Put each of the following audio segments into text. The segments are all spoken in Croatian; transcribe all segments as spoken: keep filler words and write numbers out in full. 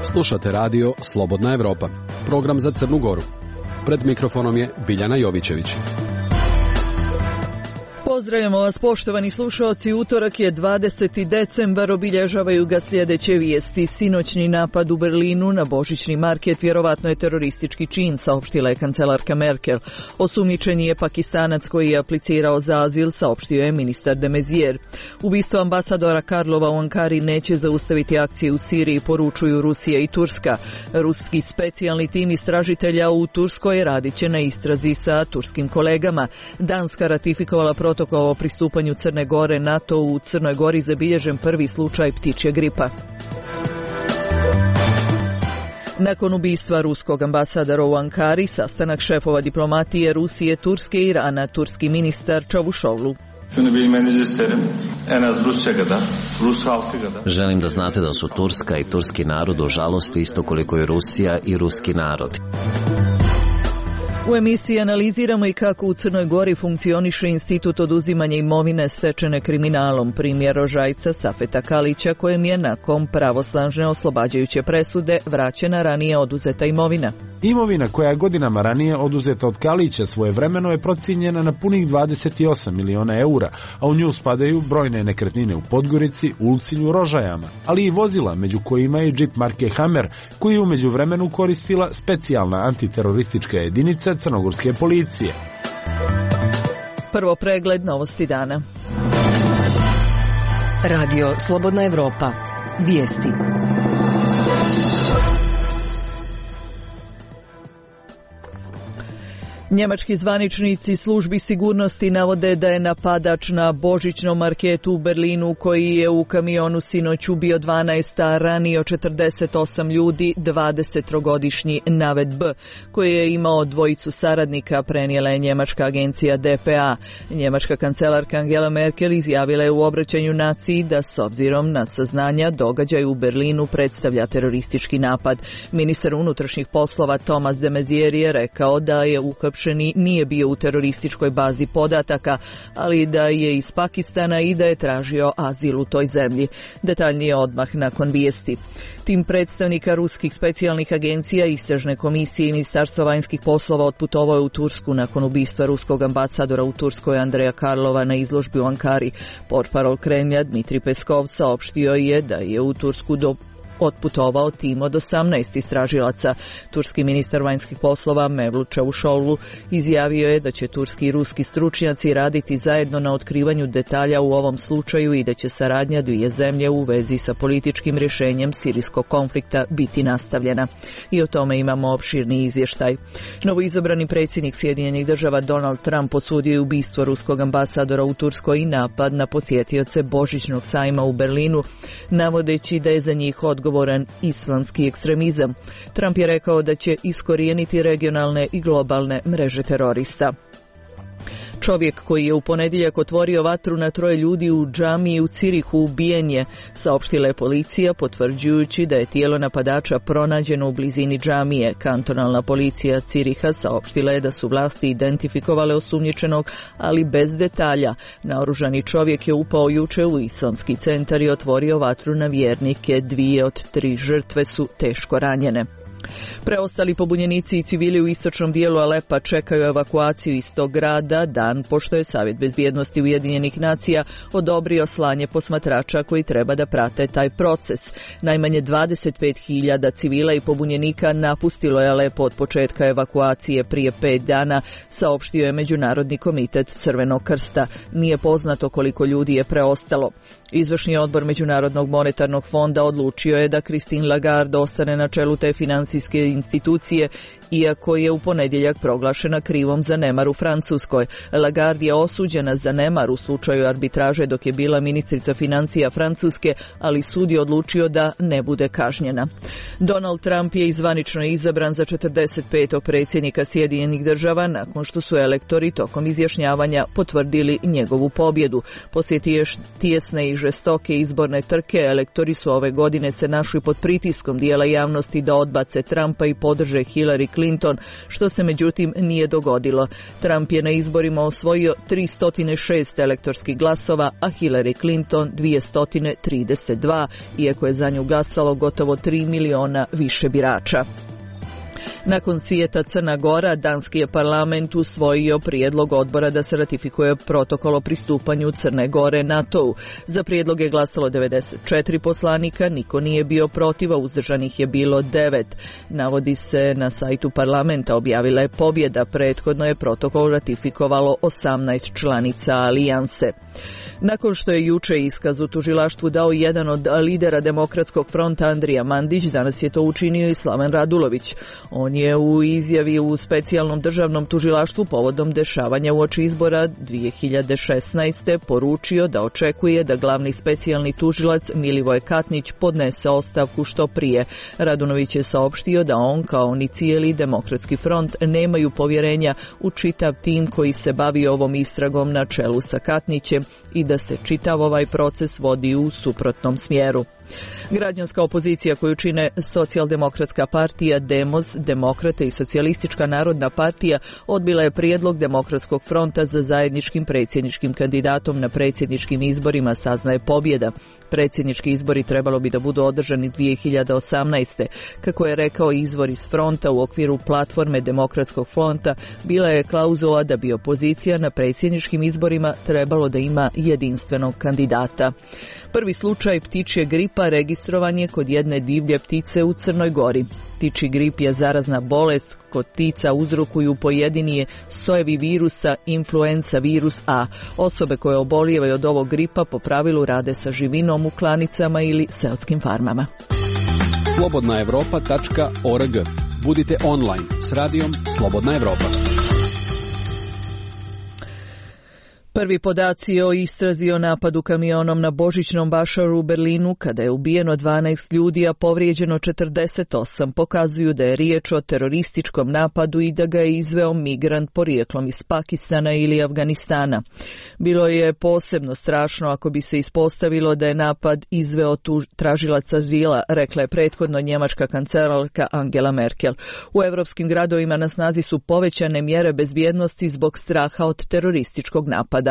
Slušate radio Slobodna Evropa, program za Crnu Goru. Pred mikrofonom je Biljana Jovićević. Pozdravljamo vas, poštovani slušaoci. Utorak je dvadeseti decembar, obilježavaju ga sljedeće vijesti. Sinoćni napad u Berlinu na božićni market vjerovatno je teroristički čin, saopštila je kancelarka Merkel. Osumnjičen je Pakistanac koji je aplicirao za azil, saopštio je ministar de Maizière. Ubistvo ambasadora Karlova u Ankari neće zaustaviti akcije u Siriji, poručuju Rusija i Turska. Ruski specijalni tim istražitelja u Turskoj radit će na istrazi sa turskim kolegama. Danska ratifikovala protokol o pristupanju Crne Gore NATO. U Crnoj Gori zabilježen prvi slučaj ptičje gripa. Nakon ubistva ruskog ambasadora u Ankari, sastanak šefova diplomatije Rusije, Turske i Irana, turski ministar Čavuşoğlu. Želim da znate da su Turska i turski narod u žalosti isto koliko i Rusija i ruski narod. U emisiji analiziramo i kako u Crnoj Gori funkcioniše institut oduzimanja imovine stečene kriminalom, primjer Rožajca Safeta Kalića, kojem je nakon pravosnažne oslobađajuće presude vraćena ranije oduzeta imovina. Imovina koja je godinama ranije oduzeta od Kalića svojevremeno je procijenjena na punih dvadeset osam miliona eura, a u nju spadaju brojne nekretnine u Podgorici, Ulcinju, Rožajama, ali i vozila, među kojima je džip marke Hammer, koji je u međuvremenu koristila specijalna antiteroristička jedinica crnogorske policije. Prvo pregled novosti dana. Radio Slobodna Evropa. Vijesti. Njemački zvaničnici službi sigurnosti navode da je napadač na božićnom marketu u Berlinu, koji je u kamionu sinoć ubio dvanaest, a ranio četrdeset osam ljudi, dvadesetogodišnji Navid B, koji je imao dvojicu saradnika, prenijela je njemačka agencija D P A. Njemačka kancelarka Angela Merkel izjavila je u obraćanju naciji da s obzirom na saznanja događaj u Berlinu predstavlja teroristički napad. Ministar unutrašnjih poslova Thomas de Maizière je rekao da je uhapšen nije bio u terorističkoj bazi podataka, ali da je iz Pakistana i da je tražio azil u toj zemlji. Detaljnije odmah nakon vijesti. Tim predstavnika ruskih specijalnih agencija, istražne komisije i Ministarstva vanjskih poslova otputovao je u Tursku nakon ubistva ruskog ambasadora u Turskoj Andreja Karlova na izložbi u Ankari. Portparol Kremlja Dmitrij Peskov saopštio je da je u Tursku do otputovao tim od osamnaest istražilaca. Turski ministar vanjskih poslova Mevlut Čavuşoğlu izjavio je da će turski i ruski stručnjaci raditi zajedno na otkrivanju detalja u ovom slučaju i da će saradnja dvije zemlje u vezi sa političkim rješenjem sirijskog konflikta biti nastavljena. I o tome imamo opširni izvještaj. Novoizabrani predsjednik Sjedinjenih Država Donald Trump osudio je ubistvo ruskog ambasadora u Turskoj i napad na posjetioce božićnog sajma u Berlinu, navodeći da je za njih odgovor islamski ekstremizam. Trump je rekao da će iskorijeniti regionalne i globalne mreže terorista. Čovjek koji je u ponedjeljak otvorio vatru na troje ljudi u džamiji u Cirihu ubijen je, saopštila je policija, potvrđujući da je tijelo napadača pronađeno u blizini džamije. Kantonalna policija Ciriha saopštila je da su vlasti identifikovale osumnjičenog, ali bez detalja. Naoružani čovjek je upao juče u islamski centar i otvorio vatru na vjernike. Dvije od tri žrtve su teško ranjene. Preostali pobunjenici i civili u istočnom dijelu Alepa čekaju evakuaciju iz tog grada dan pošto je Savjet bezbjednosti Ujedinjenih nacija odobrio slanje posmatrača koji treba da prate taj proces. Najmanje dvadeset pet hiljada civila i pobunjenika napustilo je Alepo od početka evakuacije prije pet dana, saopštio je Međunarodni komitet Crvenog krsta. Nije poznato koliko ljudi je preostalo. Izvršni odbor Međunarodnog monetarnog fonda odlučio je da Christine Lagarde ostane na čelu te financijske institucije, iako je u ponedjeljak proglašena krivom za nemar u Francuskoj. Lagarde je osuđena za nemar u slučaju arbitraže dok je bila ministrica financija Francuske, ali sud je odlučio da ne bude kažnjena. Donald Trump je zvanično izabran za četrdeset petog predsjednika Sjedinjenih Država nakon što su elektori tokom izjašnjavanja potvrdili njegovu pobjedu. Poslije tijesne i žestoke izborne trke, elektori su ove godine se našli pod pritiskom dijela javnosti da odbace napuste Trumpa i podrže Hillary Clinton, što se međutim nije dogodilo. Trump je na izborima osvojio tristo šest elektorskih glasova, a Hillary Clinton dvjesto trideset dva, iako je za nju glasalo gotovo tri miliona više birača. Nakon svijeta Crna Gora, danski je parlament usvojio prijedlog odbora da se ratifikuje protokol o pristupanju Crne Gore NATO-u. Za prijedlog je glasalo devedeset četiri poslanika, niko nije bio protiv, a uzdržanih je bilo devet. Navodi se na sajtu parlamenta, objavila je pobjeda, prethodno je protokol ratifikovalo osamnaest članica alijanse. Nakon što je juče iskaz u tužilaštvu dao jedan od lidera Demokratskog fronta Andrija Mandić, danas je to učinio i Slaven Radulović. On je u izjavi u specijalnom državnom tužilaštvu povodom dešavanja uoči izbora dvije hiljade šesnaeste. poručio da očekuje da glavni specijalni tužilac Milivoje Katnić podnese ostavku što prije. Radulović je saopštio da on kao ni cijeli Demokratski front nemaju povjerenja u čitav tim koji se bavi ovom istragom na čelu sa Katnićem i da se čitav ovaj proces vodi u suprotnom smjeru. Građanska opozicija koju čine Socijaldemokratska partija, Demos, Demokrate i Socijalistička narodna partija odbila je prijedlog Demokratskog fronta za zajedničkim predsjedničkim kandidatom na predsjedničkim izborima, saznaje Pobjeda. Predsjednički izbori trebalo bi da budu održani dvije hiljade osamnaeste. Kako je rekao izvor iz fronta, u okviru platforme Demokratskog fronta bila je klauzula da bi opozicija na predsjedničkim izborima trebalo da ima jedinstvenog kandidata. Prvi slučaj ptičje gripa registrovan je kod jedne divlje ptice u Crnoj Gori. Ptičji grip je zarazna bolest kod ptica uzrokuju pojedini sojevi virusa influenza virus A. Osobe koje obolijevaju od ovog gripa po pravilu rade sa živinom u klanicama ili seoskim farmama. slobodna evropa tačka org. Budite online s radijom Slobodna Evropa. Prvi podaci o istrazi o napadu kamionom na Božićnom Bašaru u Berlinu, kada je ubijeno dvanaest ljudi, a povrijeđeno četrdeset osam, pokazuju da je riječ o terorističkom napadu i da ga je izveo migrant porijeklom iz Pakistana ili Afganistana. Bilo je posebno strašno ako bi se ispostavilo da je napad izveo tuž, tražilac azila, rekla je prethodno njemačka kancelarka Angela Merkel. U evropskim gradovima na snazi su povećane mjere bezbjednosti zbog straha od terorističkog napada.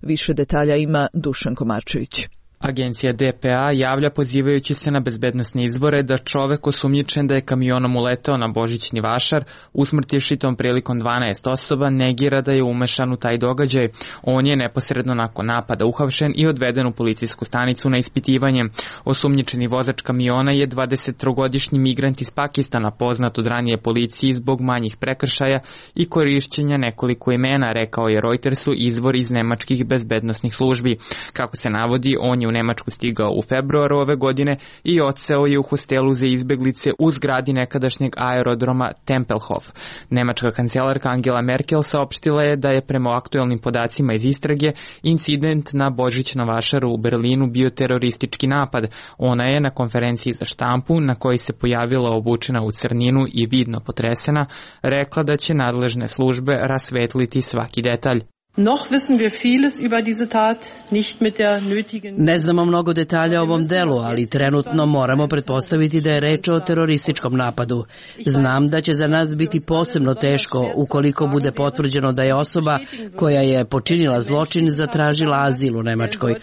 Više detalja ima Dušan Komarčević. Agencija D P A javlja pozivajući se na bezbednosne izvore da čovek osumnjičen da je kamionom uleteo na Božićni Vašar, usmrtivši tom prilikom dvanaest osoba, negira da je umešan u taj događaj. On je neposredno nakon napada uhapšen i odveden u policijsku stanicu na ispitivanje. Osumnjičeni vozač kamiona je dvadesettrogodišnji migrant iz Pakistana, poznat od ranije policiji zbog manjih prekršaja i korišćenja nekoliko imena, rekao je Reutersu izvor iz nemačkih bezbednosnih službi. Kako se navodi, on je u Nemačku stigao u februaru ove godine i odseo je u hostelu za izbeglice u zgradi nekadašnjeg aerodroma Tempelhof. Nemačka kancelarka Angela Merkel saopštila je da je prema aktuelnim podacima iz istrage incident na Božićnom Vašaru u Berlinu bio teroristički napad. Ona je na konferenciji za štampu, na kojoj se pojavila obučena u crninu i vidno potresena, rekla da će nadležne službe rasvetliti svaki detalj. Noch wissen wir vieles über diese Tat, nicht mit der nötigen... Ne znamo mnogo detalja o ovom delu, ali trenutno moramo pretpostaviti da je reč o terorističkom napadu. Znam da će za nas biti posebno teško ukoliko bude potvrđeno da je osoba koja je počinila zločin zatražila azil u Nemačkoj.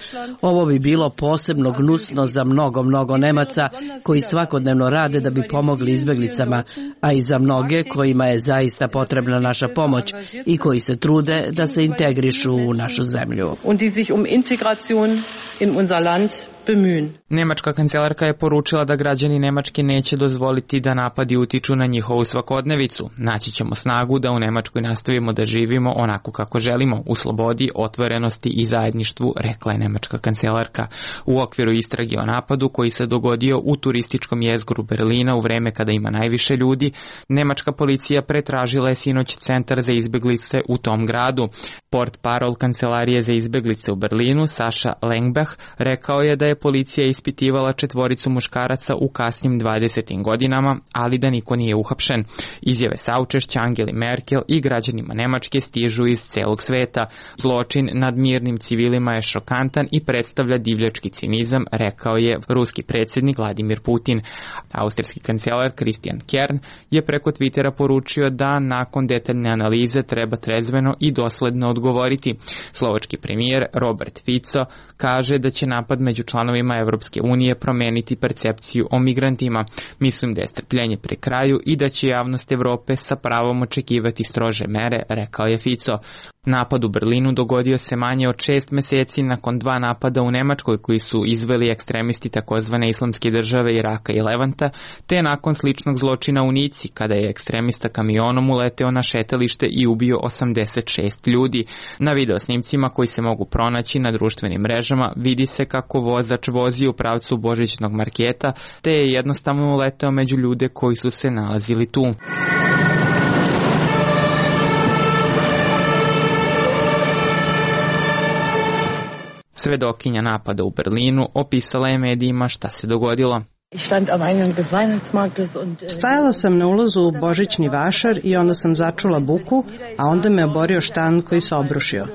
Ovo bi bilo posebno gnusno za mnogo, mnogo Nemaca koji svakodnevno rade da bi pomogli izbeglicama, a i za mnoge kojima je zaista potrebna naša pomoć i koji se trude da se integriraju u našu zemlju. Und die sich um Integration in unser Land bemühen. Nemačka kancelarka je poručila da građani Nemačke neće dozvoliti da napadi utiču na njihovu svakodnevicu. Naći ćemo snagu da u Nemačkoj nastavimo da živimo onako kako želimo, u slobodi, otvorenosti i zajedništvu, rekla je nemačka kancelarka. U okviru istrage o napadu koji se dogodio u turističkom jezgru Berlina u vreme kada ima najviše ljudi, nemačka policija pretražila je sinoć centar za izbeglice u tom gradu. Portparol kancelarije za izbeglice u Berlinu, Saša Lengbach, rekao je da je je policija ispitivala četvoricu muškaraca u kasnim dvadesetim godinama, ali da niko nije uhapšen. Izjave saučešća Angeli Merkel i građanima Nemačke stižu iz celog sveta. Zločin nad mirnim civilima je šokantan i predstavlja divljački cinizam, rekao je ruski predsjednik Vladimir Putin. Austrijski kancelar Christian Kern je preko Twittera poručio da nakon detaljne analize treba trezveno i dosledno odgovoriti. Slovački premijer Robert Fico kaže da će napad među članovima Evropske unije promeniti percepciju o migrantima. Mislim da je strpljenje pri kraju i da će javnost Evrope sa pravom očekivati strože mere, rekao je Fico. Napad u Berlinu dogodio se manje od šest meseci nakon dva napada u Nemačkoj koji su izveli ekstremisti takozvane islamske države Iraka i Levanta, te nakon sličnog zločina u Nici kada je ekstremista kamionom uleteo na šetalište i ubio osamdeset šest ljudi. Na videosnimcima koji se mogu pronaći na društvenim mrežama vidi se kako vozač vozi u pravcu božićnog marketa, te je jednostavno uleteo među ljude koji su se nalazili tu. Svedokinja napada u Berlinu opisala je medijima šta se dogodilo. Stajala sam na ulazu u božićni vašar i onda sam začula buku, a onda me oborio štand koji se obrušio.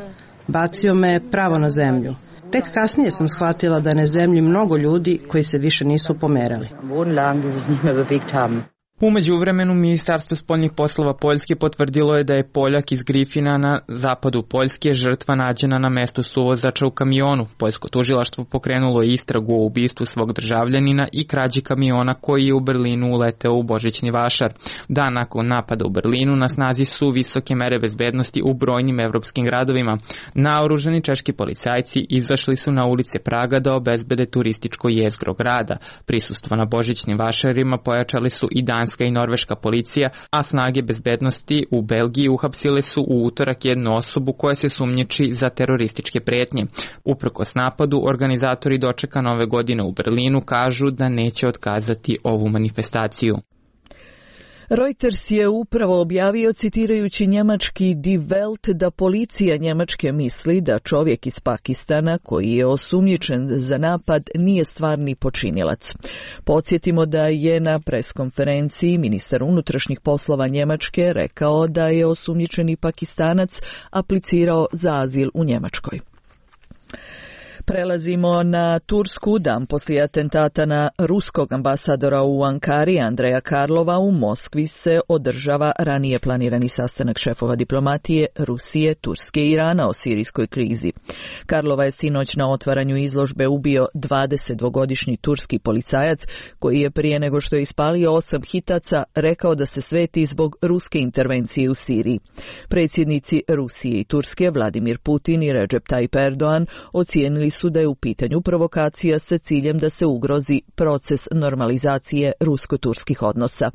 Bacio me pravo na zemlju. Tek kasnije sam shvatila da na zemlji mnogo ljudi koji se više nisu pomerali. U međuvremenu Ministarstvo spoljnih poslova Poljske potvrdilo je da je Poljak iz Grifina na zapadu Poljske žrtva nađena na mestu suvozača u kamionu. Poljsko tužilaštvo pokrenulo istragu o ubistvu svog državljanina i krađi kamiona koji je u Berlinu uleteo u božićni vašar. Dan nakon napada u Berlinu na snazi su visoke mere bezbednosti u brojnim evropskim gradovima. Naoružani češki policajci izašli su na ulice Praga da obezbede turističko jezgro grada. Prisustvo na božićnim vašarima pojačali su i danski i norveška policija, a snage bezbednosti u Belgiji uhapsile su u utorak jednu osobu koja se sumnjiči za terorističke pretnje. Uprkos napadu, organizatori dočeka nove godine u Berlinu kažu da neće otkazati ovu manifestaciju. Reuters je upravo objavio, citirajući njemački Die Welt, da policija Njemačke misli da čovjek iz Pakistana koji je osumnjičen za napad nije stvarni počinilac. Podsjetimo da je na preskonferenciji ministar unutrašnjih poslova Njemačke rekao da je osumnjičeni Pakistanac aplicirao za azil u Njemačkoj. Prelazimo na Tursku. Dan poslije atentata na ruskog ambasadora u Ankari Andreja Karlova u Moskvi se održava ranije planirani sastanak šefova diplomatije Rusije, Turske i Irana o sirijskoj krizi. Karlova je sinoć na otvaranju izložbe ubio dvadesetdvogodišnji turski policajac koji je prije nego što je ispalio osam hitaca rekao da se sveti zbog ruske intervencije u Siriji. Predsjednici Rusije i Turske Vladimir Putin i Recep Tayyip Erdogan ocijenili su da je u pitanju provokacija sa ciljem da se ugrozi proces normalizacije rusko-turskih odnosa.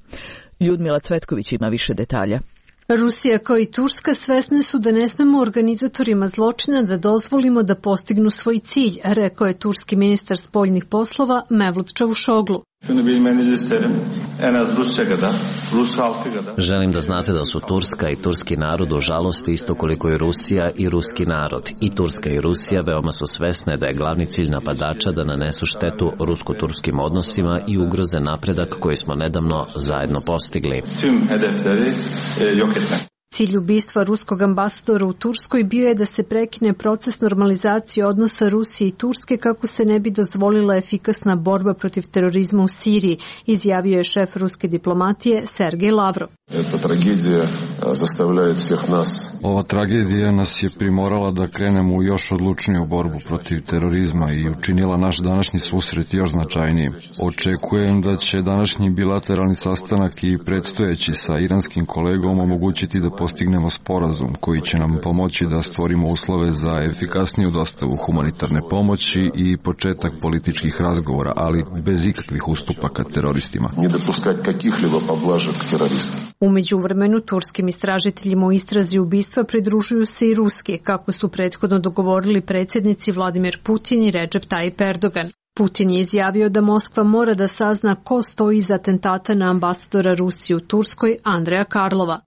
Ljudmila Cvetković ima više detalja. Rusija kao i Turska svesne su da ne smemo organizatorima zločina da dozvolimo da postignu svoj cilj, rekao je turski ministar spoljnih poslova Mevlut Čavuşoglu. Želim da znate da su Turska i turski narod u žalosti isto koliko i Rusija i ruski narod. I Turska i Rusija veoma su svesne da je glavni cilj napadača da nanesu štetu rusko-turskim odnosima i ugroze napredak koji smo nedavno zajedno postigli. Cilj ubistva ruskog ambasadora u Turskoj bio je da se prekine proces normalizacije odnosa Rusije i Turske kako se ne bi dozvolila efikasna borba protiv terorizma u Siriji, izjavio je šef ruske diplomatije Sergej Lavrov. Ova tragedija nas je primorala da krenemo u još odlučniju borbu protiv terorizma i učinila naš današnji susret još značajnijim. Očekujem da će današnji bilateralni sastanak i predstojeći sa iranskim kolegom omogućiti da postignemo sporazum koji će nam pomoći da stvorimo uslove za efikasniju dostavu humanitarne pomoći i početak političkih razgovora, ali bez ikakvih ustupaka teroristima. U međuvremenu turskim istražiteljima u istrazi ubistva pridružuju se i ruski, kako su prethodno dogovorili predsjednici Vladimir Putin i Recep Tayyip Erdogan. Putin je izjavio da Moskva mora da sazna ko stoji iza atentata na ambasadora Rusije u Turskoj Andreja Karlova.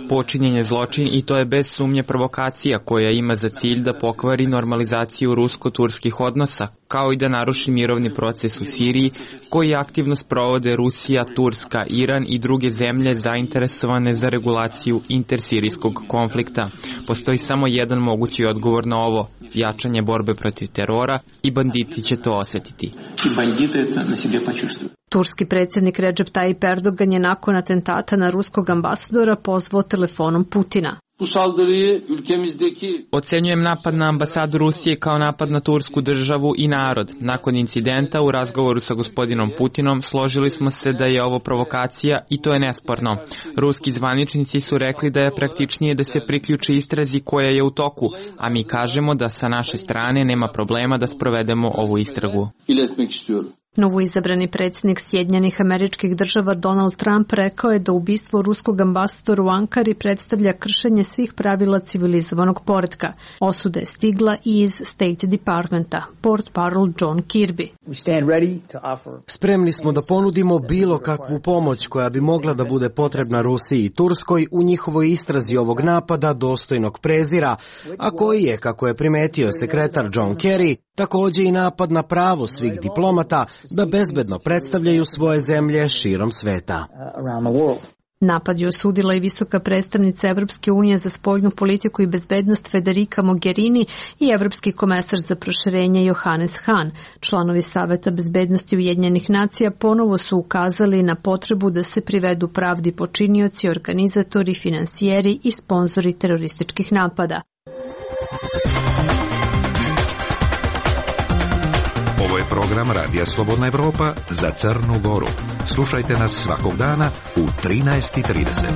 Počinjen je zločin i to je bez sumnje provokacija koja ima za cilj da pokvari normalizaciju rusko-turskih odnosa, kao i da naruši mirovni proces u Siriji koji aktivno sprovode Rusija, Turska, Iran i druge zemlje zainteresovane za regulaciju intersirijskog konflikta. Postoji samo jedan mogući odgovor na ovo, jačanje borbe protiv terora i banditi će to osetiti. Turski predsjednik Recep Tayyip Erdogan je nakon atentata na ruskog ambasadora pozvao telefonom Putina. Ocenjujem napad na ambasadu Rusije kao napad na tursku državu i narod. Nakon incidenta u razgovoru sa gospodinom Putinom složili smo se da je ovo provokacija i to je nesporno. Ruski zvaničnici su rekli da je praktičnije da se priključi istrazi koja je u toku, a mi kažemo da sa naše strane nema problema da sprovedemo ovu istragu. Novoizabrani predsjednik Sjedinjenih Američkih Država Donald Trump rekao je da ubistvo ruskog ambasadora u Ankari predstavlja kršenje svih pravila civilizovanog poretka. Osuda je stigla i iz State Departmenta. Portparol John Kirby. Spremni smo da ponudimo bilo kakvu pomoć koja bi mogla da bude potrebna Rusiji i Turskoj u njihovoj istrazi ovog napada dostojnog prezira, a koji je, kako je primetio sekretar John Kerry, također i napad na pravo svih diplomata da bezbedno predstavljaju svoje zemlje širom sveta. Napad je osudila i visoka predstavnica Evropske unije za spoljnu politiku i bezbednost Federica Mogherini i evropski komesar za proširenje Johannes Hahn. Članovi Saveta bezbednosti Ujedinjenih nacija ponovo su ukazali na potrebu da se privedu pravdi počinioci, organizatori, finansijeri i sponzori terorističkih napada. Ovo je program Radija Slobodna Evropa za Crnu Goru. Slušajte nas svakog dana u trinaest i trideset.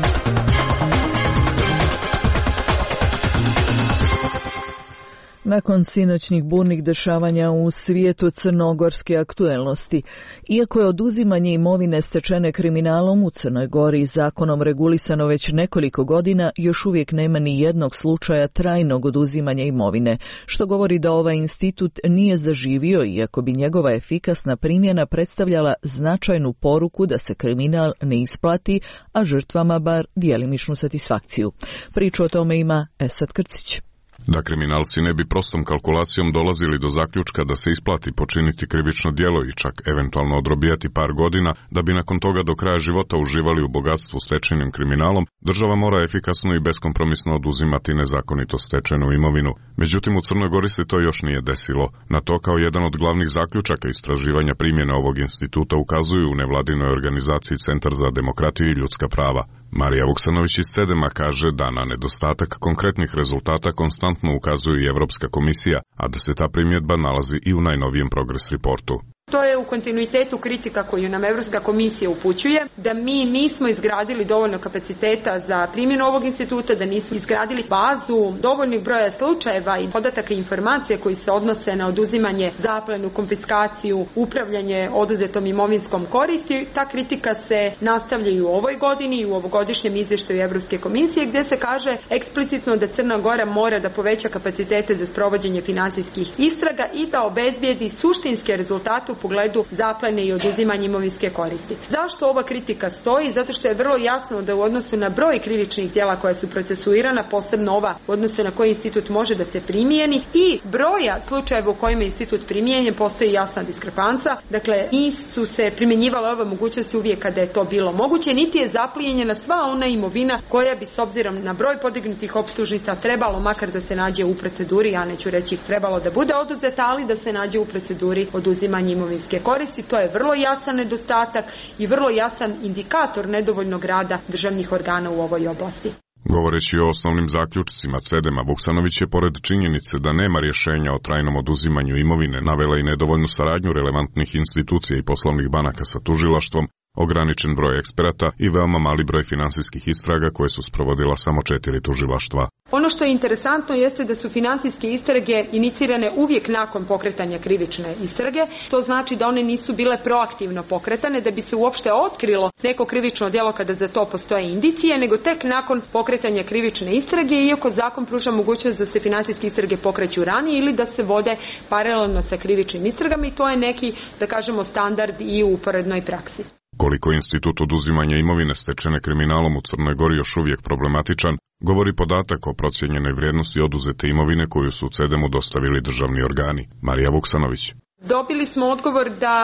Nakon sinoćnih burnih dešavanja u svijetu crnogorske aktuelnosti, iako je oduzimanje imovine stečene kriminalom u Crnoj Gori zakonom regulisano već nekoliko godina, još uvijek nema ni jednog slučaja trajnog oduzimanja imovine, što govori da ovaj institut nije zaživio, iako bi njegova efikasna primjena predstavljala značajnu poruku da se kriminal ne isplati, a žrtvama bar djelimičnu satisfakciju. Priču o tome ima Esad Krcić. Da kriminalci ne bi prostom kalkulacijom dolazili do zaključka da se isplati počiniti krivično djelo i čak eventualno odrobijati par godina, da bi nakon toga do kraja života uživali u bogatstvu stečenim kriminalom, država mora efikasno i beskompromisno oduzimati nezakonito stečenu imovinu. Međutim, u Crnoj Gori se to još nije desilo. Na to kao jedan od glavnih zaključaka istraživanja primjene ovog instituta ukazuju u nevladinoj organizaciji Centar za demokratiju i ljudska prava. Marija Vuksanović iz Cedema kaže da na nedostatak konkretnih rezultata konstantno ukazuje i Evropska komisija, a da se ta primjedba nalazi i u najnovijem Progress reportu. To je u kontinuitetu kritika koju nam Evropska komisija upućuje, da mi nismo izgradili dovoljno kapaciteta za primjenu ovog instituta, da nismo izgradili bazu dovoljnih broja slučajeva i podataka i informacije koji se odnose na oduzimanje, zaplenu, konfiskaciju, upravljanje oduzetom imovinskom koristi. Ta kritika se nastavlja i u ovoj godini i u ovogodišnjem izvještaju Evropske komisije, gdje se kaže eksplicitno da Crna Gora mora da poveća kapacitete za sprovođenje finansijskih istraga i da obezbijedi suštinske rezultate u pogledu zaplene i oduzimanja imovinske koristi. Zašto ova kritika stoji? Zato što je vrlo jasno da u odnosu na broj krivičnih djela koja su procesuirana, posebno ova u odnosu na koji institut može da se primijeni, i broja slučajeva u kojima je institut primijenjen, postoji jasna diskrepanca. Dakle, nisu se primjenjivale ove mogućnosti uvijek kada je to bilo moguće, niti je zaplijenjena sva ona imovina koja bi s obzirom na broj podignutih optužnica trebalo makar da se nađe u proceduri, ja neću reći trebalo da bude oduzeta, ali da se nađe u proceduri oduzimanja imovinske koristi. To je vrlo jasan nedostatak i vrlo jasan indikator nedovoljnog rada državnih organa u ovoj oblasti. Govoreći o osnovnim zaključcima Cedema, Vuksanović je pored činjenice da nema rješenja o trajnom oduzimanju imovine navela i nedovoljnu saradnju relevantnih institucija i poslovnih banaka sa tužilaštvom, ograničen broj eksperata i veoma mali broj finansijskih istraga koje su sprovodila samo četiri tužilaštva. Ono što je interesantno jeste da su finansijske istrage inicirane uvijek nakon pokretanja krivične istrage. To znači da one nisu bile proaktivno pokretane da bi se uopšte otkrilo neko krivično djelo kada za to postoje indicije, nego tek nakon pokretanja krivične istrage, iako zakon pruža mogućnost da se finansijske istrage pokreću ranije ili da se vode paralelno sa krivičnim istragama, i to je neki, da kažemo, standard i u uporednoj praksi. Koliko je institut oduzimanja imovine stečene kriminalom u Crnoj Gori još uvijek problematičan, govori podatak o procijenjenoj vrijednosti oduzete imovine koju su C E D E M-u dostavili državni organi. Marija Vuksanović. Dobili smo odgovor da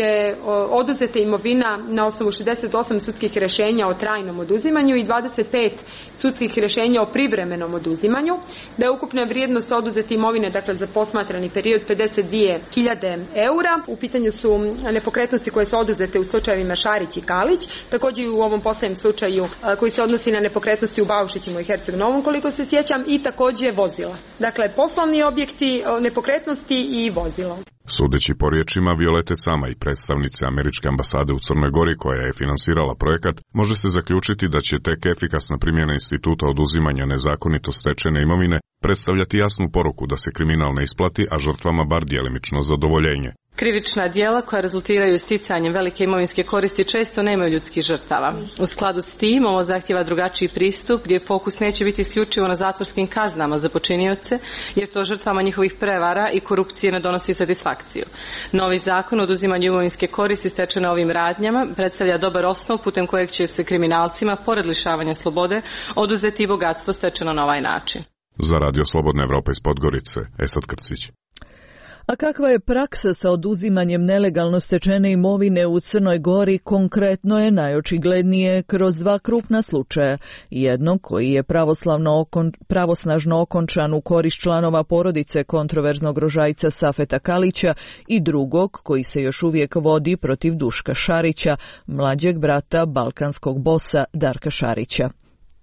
je oduzeta imovina na osnovu šezdeset osam sudskih rješenja o trajnom oduzimanju i dvadeset pet sudskih rješenja o privremenom oduzimanju, da je ukupna vrijednost oduzete imovine, dakle za posmatrani period, pedeset dvije hiljade eura. U pitanju su nepokretnosti koje su oduzete u slučajevima Šarić i Kalić, također i u ovom posljednjem slučaju koji se odnosi na nepokretnosti u Baušićima i Herceg Novom, koliko se sjećam, i također vozila. Dakle, poslovni objekti, nepokretnosti i vozilo. Sudeći po riječima Violete Sama i predstavnice američke ambasade u Crnoj Gori koja je finansirala projekat, može se zaključiti da će tek efikasna primjena instituta oduzimanja nezakonito stečene imovine predstavljati jasnu poruku da se kriminal ne isplati, a žrtvama bar djelimično zadovoljenje. Krivična djela koja rezultiraju sticanjem velike imovinske koristi često nemaju ljudskih žrtava. U skladu s tim, ovo zahtjeva drugačiji pristup gdje fokus neće biti isključivo na zatvorskim kaznama za počinioce, jer to žrtvama njihovih prevara i korupcije ne donosi satisfakciju. Novi zakon o oduzimanju imovinske koristi stečene ovim radnjama predstavlja dobar osnov putem kojeg će se kriminalcima, pored lišavanja slobode, oduzeti i bogatstvo stečeno na ovaj način. Za Radio Slobodna Evropa iz Podgorice, Esad Krcić. A kakva je praksa sa oduzimanjem nelegalno stečene imovine u Crnoj Gori, konkretno je najočiglednije kroz dva krupna slučaja. Jedno koji je pravoslavno okon, pravosnažno okončan u korist članova porodice kontroverznog rožajca Safeta Kalića i drugog koji se još uvijek vodi protiv Duška Šarića, mlađeg brata balkanskog bosa Darka Šarića.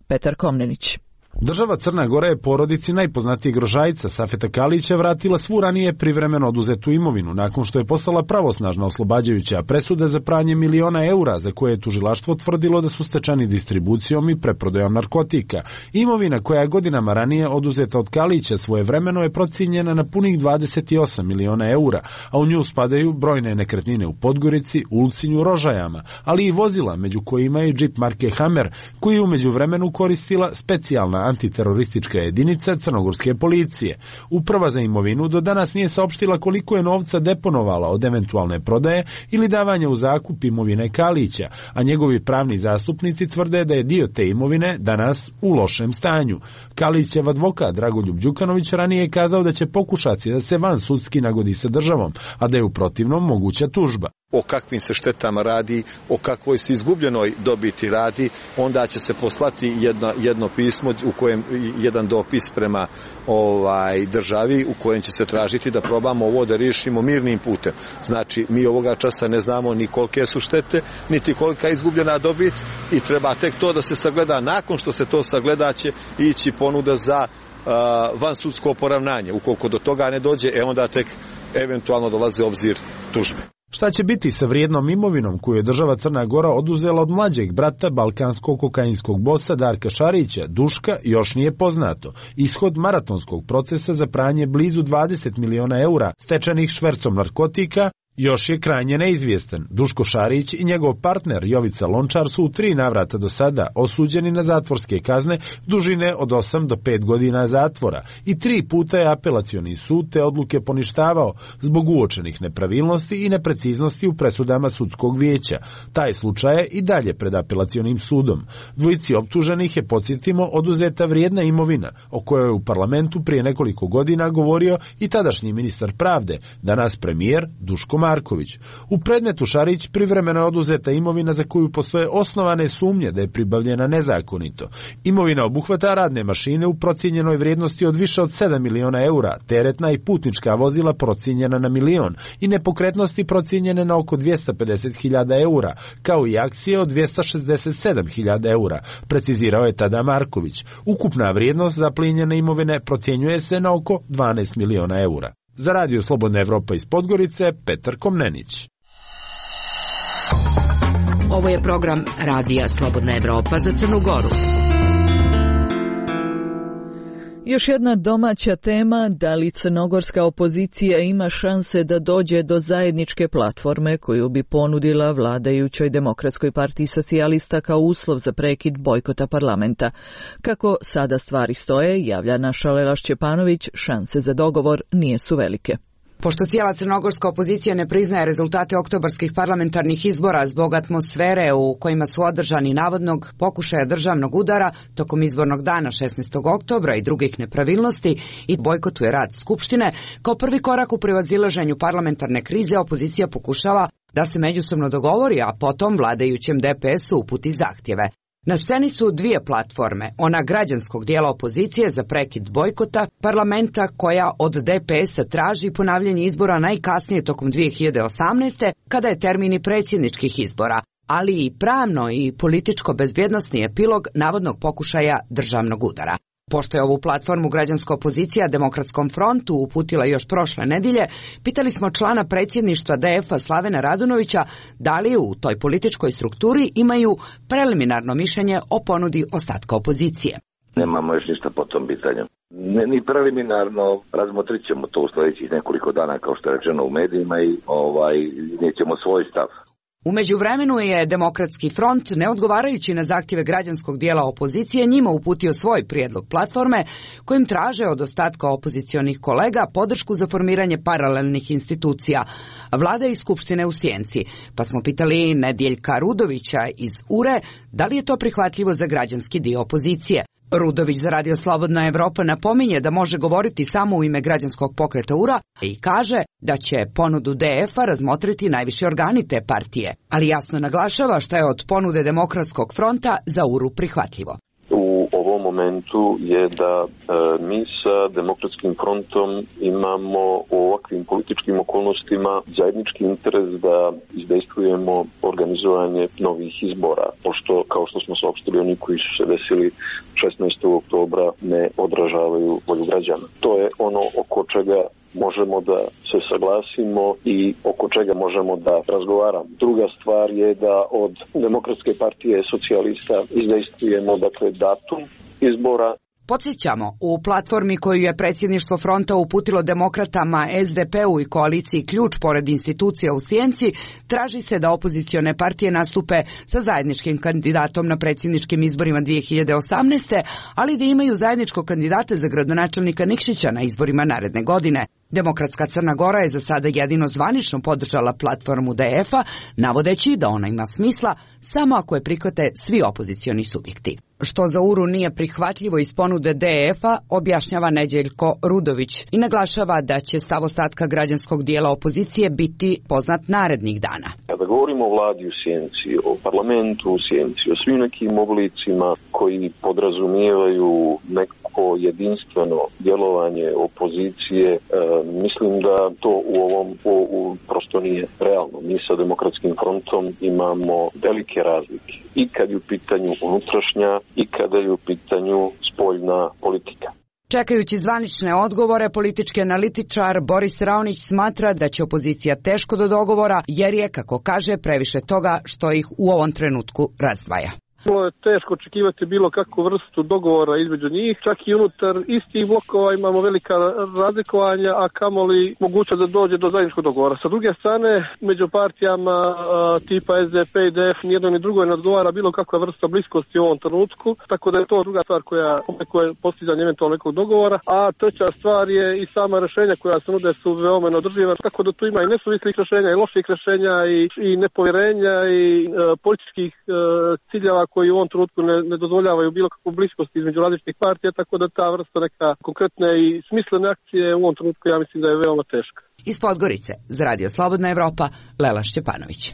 Petar Komnenić. Država Crna Gora je porodici najpoznatijeg rožajca Safeta Kalića vratila svu ranije privremeno oduzetu imovinu nakon što je postala pravosnažna oslobađajuća presuda za pranje miliona eura za koje je tužilaštvo tvrdilo da su stečeni distribucijom i preprodajom narkotika. Imovina koja je godinama ranije oduzeta od Kalića svojevremeno je procijenjena na punih dvadeset osam miliona eura, a u nju spadaju brojne nekretnine u Podgorici, Ulcinju, Rožajama, ali i vozila, među kojima je džip marke Hammer, koji je u međuvremenu koristila specijalna antiteroristička jedinica crnogorske policije. Uprava za imovinu do danas nije saopštila koliko je novca deponovala od eventualne prodaje ili davanja u zakup imovine Kalića, a njegovi pravni zastupnici tvrde da je dio te imovine danas u lošem stanju. Kalićev advokat Dragoljub Đukanović ranije je kazao da će pokušati da se van sudski nagodi sa državom, a da je u protivnom moguća tužba. O kakvim se štetama radi, o kakvoj se izgubljenoj dobiti radi, onda će se poslati jedno, jedno pismo, u kojem jedan dopis prema ovaj državi u kojem će se tražiti da probamo ovo da riješimo mirnim putem. Znači, mi ovoga časa ne znamo ni kolike su štete, niti kolika je izgubljena dobit i treba tek to da se sagleda. Nakon što se to sagleda će ići ponuda za uh, vansudsko poravnanje. Ukoliko do toga ne dođe, e onda tek eventualno dolazi obzir tužbe. Šta će biti sa vrijednom imovinom koju je država Crna Gora oduzela od mlađeg brata balkanskog kokainskog bosa Darka Šarića, Duška, još nije poznato. Ishod maratonskog procesa za pranje blizu dvadeset miliona eura stečenih švercom narkotika još je krajnje neizvjestan. Duško Šarić i njegov partner Jovica Lončar su u tri navrata do sada osuđeni na zatvorske kazne dužine od osam do pet godina zatvora i tri puta je apelacioni sud te odluke poništavao zbog uočenih nepravilnosti i nepreciznosti u presudama sudskog vijeća. Taj slučaj je i dalje pred apelacionim sudom. Dvojici optuženih je, podsjetimo, oduzeta vrijedna imovina o kojoj je u parlamentu prije nekoliko godina govorio i tadašnji ministar pravde, danas premijer Duško Marković. U predmetu Šarić privremeno je oduzeta imovina za koju postoje osnovane sumnje da je pribavljena nezakonito. Imovina obuhvata radne mašine u procijenjenoj vrijednosti od više od sedam miliona eura, teretna i putnička vozila procijenjena na milion i nepokretnosti procijenjene na oko dvjesto pedeset hiljada eura, kao i akcije od dvjesto šezdeset sedam hiljada eura, precizirao je tada Marković. Ukupna vrijednost zaplijenjene imovine procjenjuje se na oko dvanaest miliona eura. Za Radio Slobodna Evropa iz Podgorice, Petar Komnenić. Ovo je program Radija Slobodna Evropa za Crnu Goru. Još jedna domaća tema, da li crnogorska opozicija ima šanse da dođe do zajedničke platforme koju bi ponudila vladajućoj Demokratskoj partiji socijalista kao uslov za prekid bojkota parlamenta. Kako sada stvari stoje, javlja naša Lela Šćepanović, šanse za dogovor nije su velike. Pošto cijela crnogorska opozicija ne priznaje rezultate oktobarskih parlamentarnih izbora zbog atmosfere u kojima su održani navodnog pokušaja državnog udara tokom izbornog dana šesnaestog oktobra i drugih nepravilnosti i bojkotuje rad Skupštine, kao prvi korak u prevazilaženju parlamentarne krize opozicija pokušava da se međusobno dogovori, a potom vladajućem D P S-u uputi zahtjeve. Na sceni su dvije platforme, ona građanskog dijela opozicije za prekid bojkota parlamenta koja od D P S-a traži ponavljanje izbora najkasnije tokom dvije hiljade osamnaeste. kada je termin i predsjedničkih izbora, ali i pravno i političko-bezbjednosni epilog navodnog pokušaja državnog udara. Pošto je ovu platformu građanska opozicija Demokratskom frontu uputila još prošle nedjelje, pitali smo člana predsjedništva D F-a Slavena Radunovića da li u toj političkoj strukturi imaju preliminarno mišljenje o ponudi ostatka opozicije. Nemamo još ništa po tom pitanju. Ne, ni preliminarno, razmotrit ćemo to u sljedećih nekoliko dana, kao što je rečeno u medijima, i ovaj, nećemo svoj stav. U međuvremenu je Demokratski front, ne odgovarajući na zahtjeve građanskog dijela opozicije, njima uputio svoj prijedlog platforme kojim traže od ostatka opozicionih kolega podršku za formiranje paralelnih institucija, vlade i skupštine u Sjenci. Pa smo pitali Nedjeljka Rudovića iz U R E da li je to prihvatljivo za građanski dio opozicije. Rudović za Radio Slobodna Evropa napominje da može govoriti samo u ime građanskog pokreta U R A i kaže da će ponudu D F-a razmotriti najviši organi te partije, ali jasno naglašava šta je od ponude Demokratskog fronta za U R U prihvatljivo. U ovom momentu je da e, mi sa Demokratskim frontom imamo u ovakvim političkim okolnostima zajednički interes da izdejstvujemo organizovanje novih izbora, pošto, kao što smo saopštili, oni koji su se desili šesnaestog oktobra ne odražavaju volju građana. To je ono oko čega možemo da se saglasimo i oko čega možemo da razgovaramo. Druga stvar je da od Demokratske partije socijalista izdejstvujemo, dakle, datum izbora. Podsjećamo, u platformi koju je predsjedništvo fronta uputilo demokratama, S D P-u i koaliciji Ključ pored institucija u Sjenci, traži se da opozicione partije nastupe sa zajedničkim kandidatom na predsjedničkim izborima dvije hiljade osamnaeste. ali da imaju zajedničkog kandidata za gradonačelnika Nikšića na izborima naredne godine. Demokratska Crna Gora je za sada jedino zvanično podržala platformu D F-a, navodeći da ona ima smisla samo ako je prihvate svi opozicioni subjekti. Što za U R U nije prihvatljivo iz ponude D F-a, objašnjava Nedjeljko Rudović i naglašava da će stav ostatka građanskog dijela opozicije biti poznat narednih dana. Kada govorimo o vladi u Sjenci, o parlamentu u Sjenci, o svim nekim oblicima koji podrazumijevaju neko jedinstveno djelovanje opozicije, e, mislim da to u ovom u, u, prosto nije realno. Mi sa Demokratskim frontom imamo velike razlike i kad je u pitanju unutrašnja i kada je u pitanju spoljna politika. Čekajući zvanične odgovore, politički analitičar Boris Raonić smatra da će opozicija teško do dogovora, jer je, kako kaže, previše toga što ih u ovom trenutku razdvaja. Bilo je teško očekivati bilo kakvu vrstu dogovora između njih, čak i unutar istih blokova imamo velika razlikovanja, a kamoli mogućnost da dođe do zajedničkog dogovora. Sa druge strane, među partijama a, tipa S D P i D F nijedno ni drugo ne odgovara bilo kakva vrsta bliskosti u ovom trenutku, tako da je to druga stvar koja je postizanje eventualno nekog dogovora, a treća stvar je i sama rješenja koja se nude su veoma neodrživa, tako da tu ima i nesuvislih rješenja i loših rješenja i, i nepovjerenja i a, političkih a, ciljeva koji u ovom trenutku ne, ne dozvoljavaju bilo kakvu bliskost između različitih partija, tako da ta vrsta neka konkretne i smislene akcije u ovom trenutku ja mislim da je veoma teška. Iz Podgorice, za Radio Slobodna Evropa, Lela Šćepanović.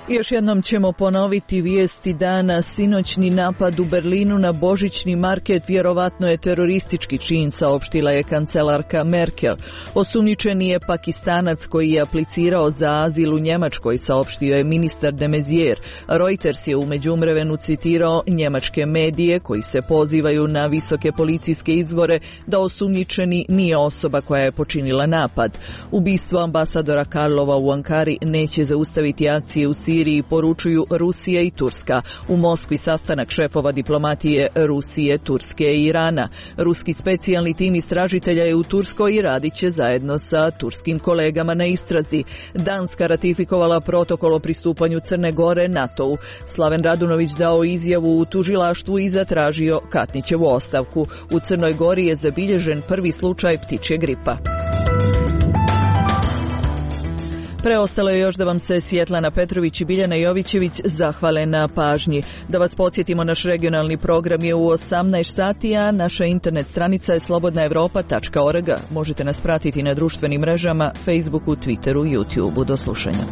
Još jednom ćemo ponoviti vijesti dana. Sinoćni napad u Berlinu na božićni market vjerovatno je teroristički čin, saopštila je kancelarka Merkel. Osumnjičeni je Pakistanac koji je aplicirao za azil u Njemačkoj, saopštio je ministar de Maizière. Reuters je u međuvremenu citirao njemačke medije koji se pozivaju na visoke policijske izvore da osumnjičeni nije osoba koja je počinila napad. Ubistvo ambasadora Karlova u Ankari neće zaustaviti akcije u Siriji Siriji, poručuju Rusija i Turska. U Moskvi sastanak šefova diplomatije Rusije, Turske i Irana. Ruski specijalni tim istražitelja je u Turskoj i radit će zajedno sa turskim kolegama na istrazi. Danska ratifikovala protokol o pristupanju Crne Gore NATO-u. Slaven Radunović dao izjavu u tužilaštvu i zatražio Katnićevu ostavku. U Crnoj Gori je zabilježen prvi slučaj ptičje gripa. Preostalo je još da vam se Svjetlana Petrović i Biljana Jovićević zahvale na pažnji. Da vas podsjetimo, naš regionalni program je u osamnaest sati, a naša internet stranica je slobodna evropa tačka org. Možete nas pratiti na društvenim mrežama, Facebooku, Twitteru, YouTubeu. Do slušanja.